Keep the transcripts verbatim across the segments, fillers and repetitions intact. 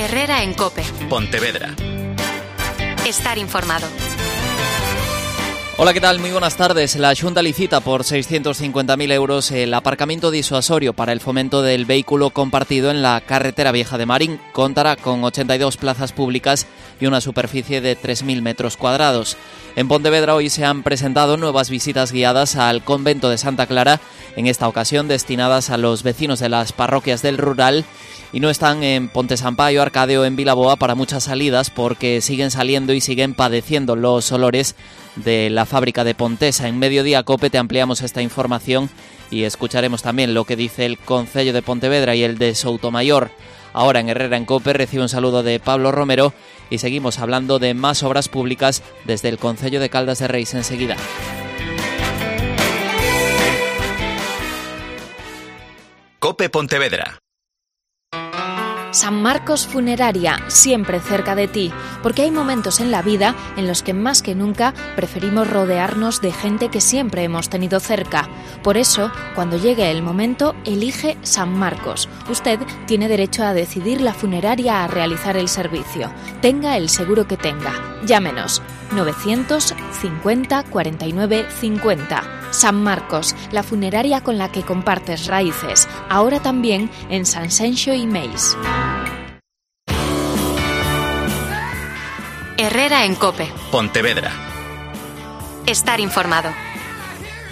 Herrera en COPE. Pontevedra. Estar informado. Hola, ¿qué tal? Muy buenas tardes. La Xunta licita por seiscientos cincuenta mil euros el aparcamiento disuasorio para el fomento del vehículo compartido en la carretera vieja de Marín. Contará con ochenta y dos plazas públicas y una superficie de tres mil metros cuadrados. En Pontevedra hoy se han presentado nuevas visitas guiadas al convento de Santa Clara, en esta ocasión destinadas a los vecinos de las parroquias del rural, y no están en Ponte Sampaio, Arcade o en Vilaboa para muchas salidas porque siguen saliendo y siguen padeciendo los olores de la fábrica de Pontesa. En Mediodía COPE te ampliamos esta información y escucharemos también lo que dice el Concello de Pontevedra y el de Soutomayor. Ahora en Herrera en COPE recibe un saludo de Pablo Romero y seguimos hablando de más obras públicas desde el Concello de Caldas de Reis enseguida. COPE Pontevedra. San Marcos Funeraria, siempre cerca de ti, porque hay momentos en la vida en los que más que nunca preferimos rodearnos de gente que siempre hemos tenido cerca. Por eso, cuando llegue el momento, elige San Marcos. Usted tiene derecho a decidir la funeraria a realizar el servicio. Tenga el seguro que tenga. Llámenos novecientos cincuenta cuarenta y nueve cincuenta. San Marcos, la funeraria con la que compartes raíces. Ahora también en San Senxo y Meis. Herrera en COPE. Pontevedra. Estar informado.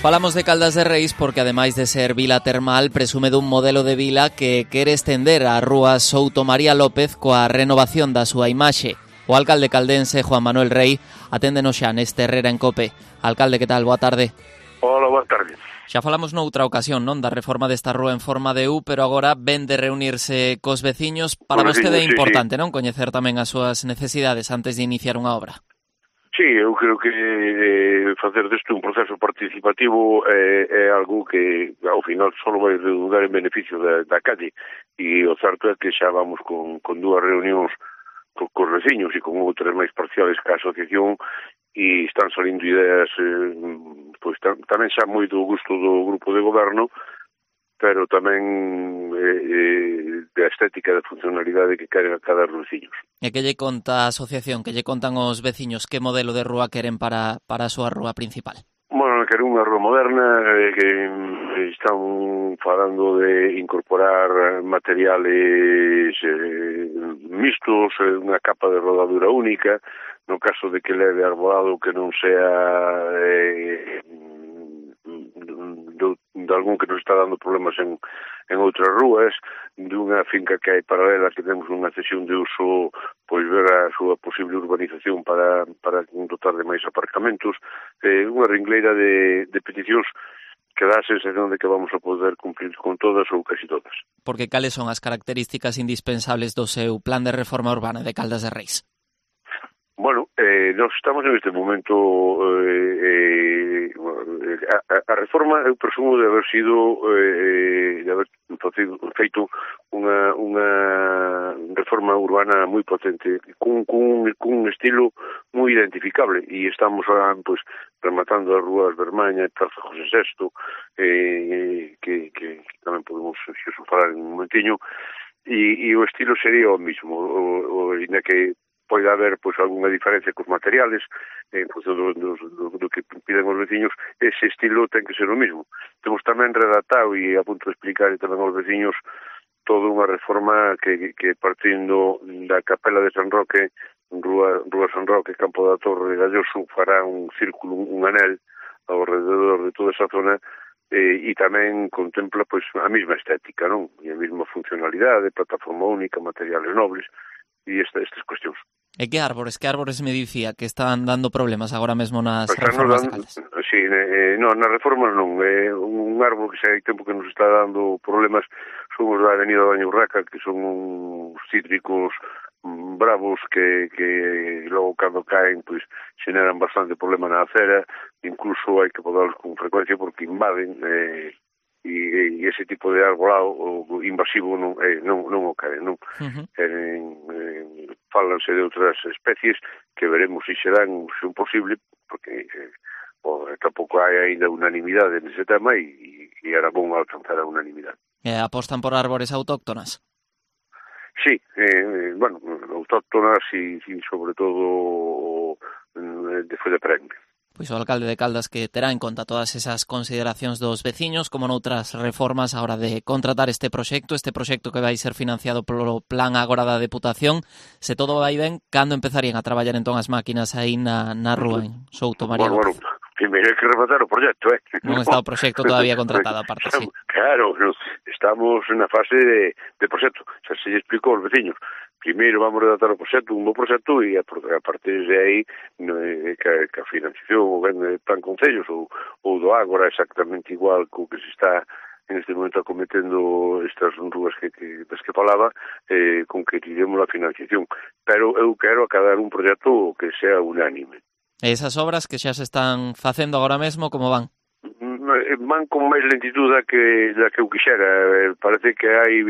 Falamos de Caldas de Reis porque, ademais de ser vila termal, presume dun modelo de vila que quere estender a rúa Souto María López coa renovación da súa imaxe. O alcalde caldense, Juan Manuel Rey, aténdenos xa neste Herrera en COPE. Alcalde, que tal? Boa tarde. Hola, boa tarde. Xa falamos noutra ocasión, non, da reforma desta rúa en forma de U, pero agora ven de reunirse cos veciños. Para vostede é importante, non, coñecer tamén as súas necesidades antes de iniciar unha obra? Sí, eu creo que eh, facer desto un proceso participativo eh, é algo que ao final só vai redundar en beneficio da, da calle, e o certo é que xa vamos con, con dúas reunións co, cos veciños e con outras máis parciales que a asociación, e están salindo ideas eh, pois tam, tamén xa moi do gusto do grupo de goberno, pero tamén eh, eh, da estética e da funcionalidade que queren a cada veciños. E que lle conta a asociación, que lle contan os veciños, que modelo de rúa queren para, para a súa rúa principal? Bueno, queren unha rúa moderna, eh, que están falando de incorporar materiales eh, mixtos, eh, unha capa de rodadura única, no caso de que leve arbolado que non sea eh, de, de algún que nos está dando problemas en, en outras rúas, dunha finca que hai paralela que temos unha cesión de uso, pois ver a súa posible urbanización para, para dotar de máis aparcamentos, eh, unha ringleira de, de peticións que dá a sensación de que vamos a poder cumplir con todas ou casi todas. Porque cales son as características indispensables do seu plan de reforma urbana de Caldas de Reis? Bueno, eh, nós estamos en este momento eh, eh, a, a reforma, eu presumo de haber sido eh, de haber feito unha, unha reforma urbana moi potente cun, cun, cun estilo moi identificable, e estamos ahora pues, rematando as rúas Bermaña e Praza José sexto, eh, que, que, que tamén podemos xo, falar en un momentiño, e, e o estilo sería o mismo, o, o, ainda que pode haber pois algunha diferencia cos materiales en función do, do, do, do que piden os veciños, ese estilo ten que ser o mismo. Temos tamén redactado e a punto de explicar tamén aos veciños toda unha reforma que, que partindo da Capela de San Roque, Rúa, Rúa San Roque, Campo da Torre de Galloso, fará un círculo, un anel ao rededor de toda esa zona, eh, e tamén contempla pois a mesma estética, non? E a mesma funcionalidade, plataforma única, materiales nobles e esta, estas cuestións. E que árbores, que árbores me dicía que están dando problemas agora mesmo nas pues reformas dando, de Caldas? Sí, eh, non, nas reformas non. Eh, un árbol que xa hai tempo que nos está dando problemas son os da Avenida Baño Urraca, que son uns cítricos mm, bravos que, que logo cando caen pois xeneran bastante problema na acera, incluso hai que podalos con frecuencia porque invaden eh, e, e ese tipo de arbolado o invasivo non, eh, non, non o cae, non? Uh-huh. Eh, eh, fálanse de outras especies que veremos se serán, se un posible, porque eh, o, tampouco hai ainda unanimidade nese tema e, e era bom alcanzar a unanimidade. E apostan por árbores autóctonas? Sí, eh, bueno, autóctonas e, e sobre todo de foi de premio. Pois o alcalde de Caldas que terá en conta todas esas consideracións dos veciños, como noutras reformas a hora de contratar este proxecto, este proxecto que vai ser financiado polo plan agora da Deputación. Se todo vai ben, cando empezarían a traballar entón as máquinas aí na, na rúa en Souto María Bueno, López? bueno, primeiro hai que rematar o proxecto, eh? Non está o proxecto todavía contratado, aparte, sí. Claro, estamos na fase de, de proxecto, xa se lle explicou aos veciños. Primeiro vamos redactar o proxecto, un bo proxecto, e a, a partir de aí no, que, que a financiación ou ben de plan concellos ou, ou do Ágora exactamente igual co que se está en este momento acometendo estas rúas que, que, das que falaba, eh, con que tiremos a financiación. Pero eu quero acabar un proxecto que sea unánime. E esas obras que xa se están facendo agora mesmo, como van? Van con máis lentitud da que, da que eu quixera. Parece que hai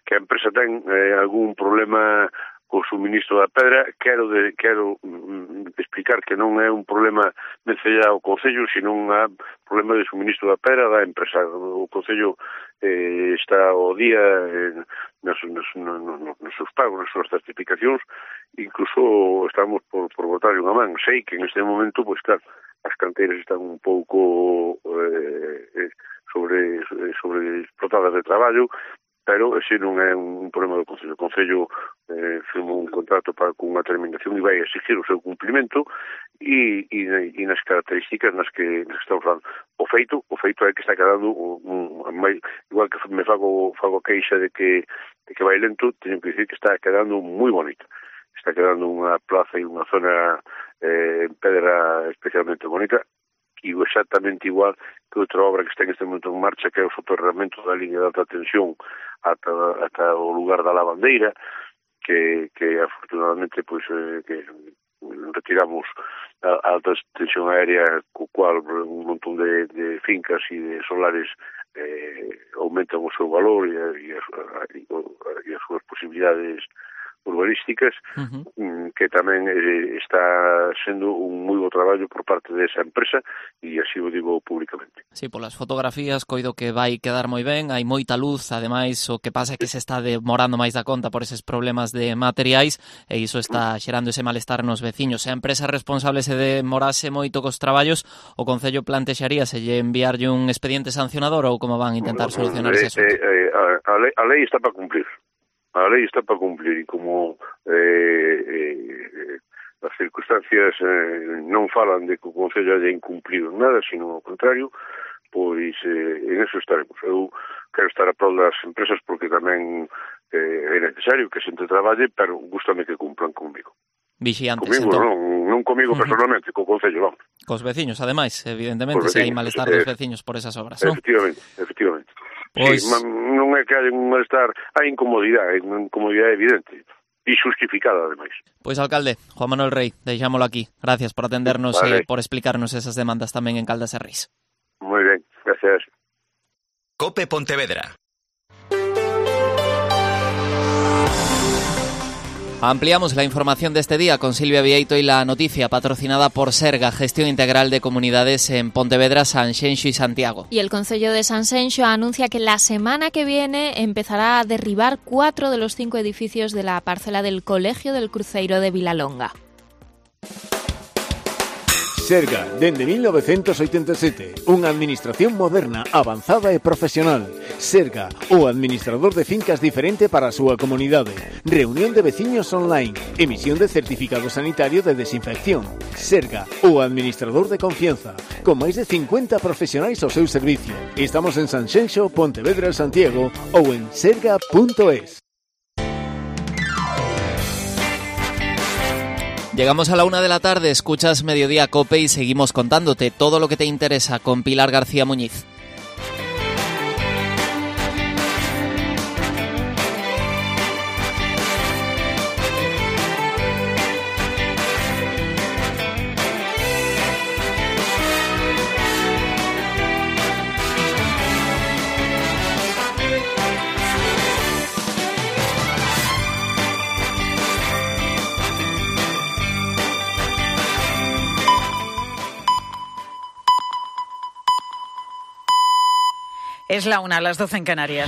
que a empresa ten eh, algún problema co suministro da pedra. Quero de, quero mm, explicar que non é un problema vencellado ao Concello, sino un problema de suministro da pedra da empresa. O Concello eh, está ao día eh, nos, nos, nos, nos seus pagos, nas súas certificacións. Incluso estamos por, por botar unha man. Sei que en este momento, pois claro, as canteiras están un pouco eh, sobre, sobre explotadas de traballo, pero ese non é un problema do Concello. O Concello eh, firmou un contrato para con unha terminación e vai exigir o seu cumplimento e, e, e nas características nas que, nas que estamos falando. O feito, o feito é que está quedando un, un, igual que me fago, fago queixa de que, de que vai lento, teño que dicir que está quedando moi bonito. Está quedando unha plaza e unha zona eh, en pedra especialmente bonita, e exactamente igual que outra obra que está en este momento en marcha, que é o soterramento da línea de alta tensión ata, ata o lugar da lavandeira, que, que afortunadamente pois, eh, que retiramos a, a alta tensión aérea, co cual un montón de, de fincas e de solares eh, aumentan o seu valor e, e, as, e, e as súas posibilidades urbanísticas, uh-huh. que tamén eh, está sendo un moi bo traballo por parte desa empresa e así o digo públicamente. Sí, polas fotografías coido que vai quedar moi ben, hai moita luz, ademais o que pasa é que se está demorando máis da conta por eses problemas de materiais e iso está xerando ese malestar nos veciños. Se a empresa responsable se demorase moito cos traballos, o Concello plantexaría se lle enviarlle un expediente sancionador ou como van intentar solucionar ese asunto? Eh, eh, a, a, lei, a lei está para cumplir. A lei está para cumplir e como eh, eh, as circunstancias eh, non falan de que o Concello haya incumplido nada, sino ao contrario, pois eh, en eso estaremos. Eu quero estar a prol das empresas porque tamén eh, é necesario que a xente traballe, pero gústame que cumplan comigo. Vixiantes, comigo, entón. non, non comigo personalmente, uh-huh. co Concello, vamos. Cos veciños, ademais, evidentemente, se hai malestar dos veciños por esas obras, non? Efectivamente, efectivamente. Pois... Sí, non é que hai un malestar, hai incomodidade, hai unha incomodidade evidente e justificada, ademais. Pois, alcalde, Juan Manuel Rey, deixámolo aquí. Gracias por atendernos e vale. eh, por explicarnos esas demandas tamén en Caldas e Reis. Moi ben, gracias. COPE Pontevedra. Ampliamos la información de este día con Silvia Vieito y la noticia patrocinada por Serga, Gestión Integral de Comunidades en Pontevedra, Sanxenxo y Santiago. Y el Concello de Sanxenxo anuncia que la semana que viene empezará a derribar cuatro de los cinco edificios de la parcela del Colegio del Cruceiro de Vilalonga. Serga, dende mil novecentos oitenta e sete, unha administración moderna, avanzada e profesional. Serga, o administrador de fincas diferente para a súa comunidade. Reunión de veciños online, emisión de certificado sanitario de desinfección. Serga, o administrador de confianza, con máis de cincuenta profesionais ao seu servicio. Estamos en Sanxenxo, Pontevedra, Santiago ou en serga punto es. Llegamos a la una de la tarde, escuchas Mediodía COPE y seguimos contándote todo lo que te interesa con Pilar García Muñiz. Es la una, a las doce en Canarias.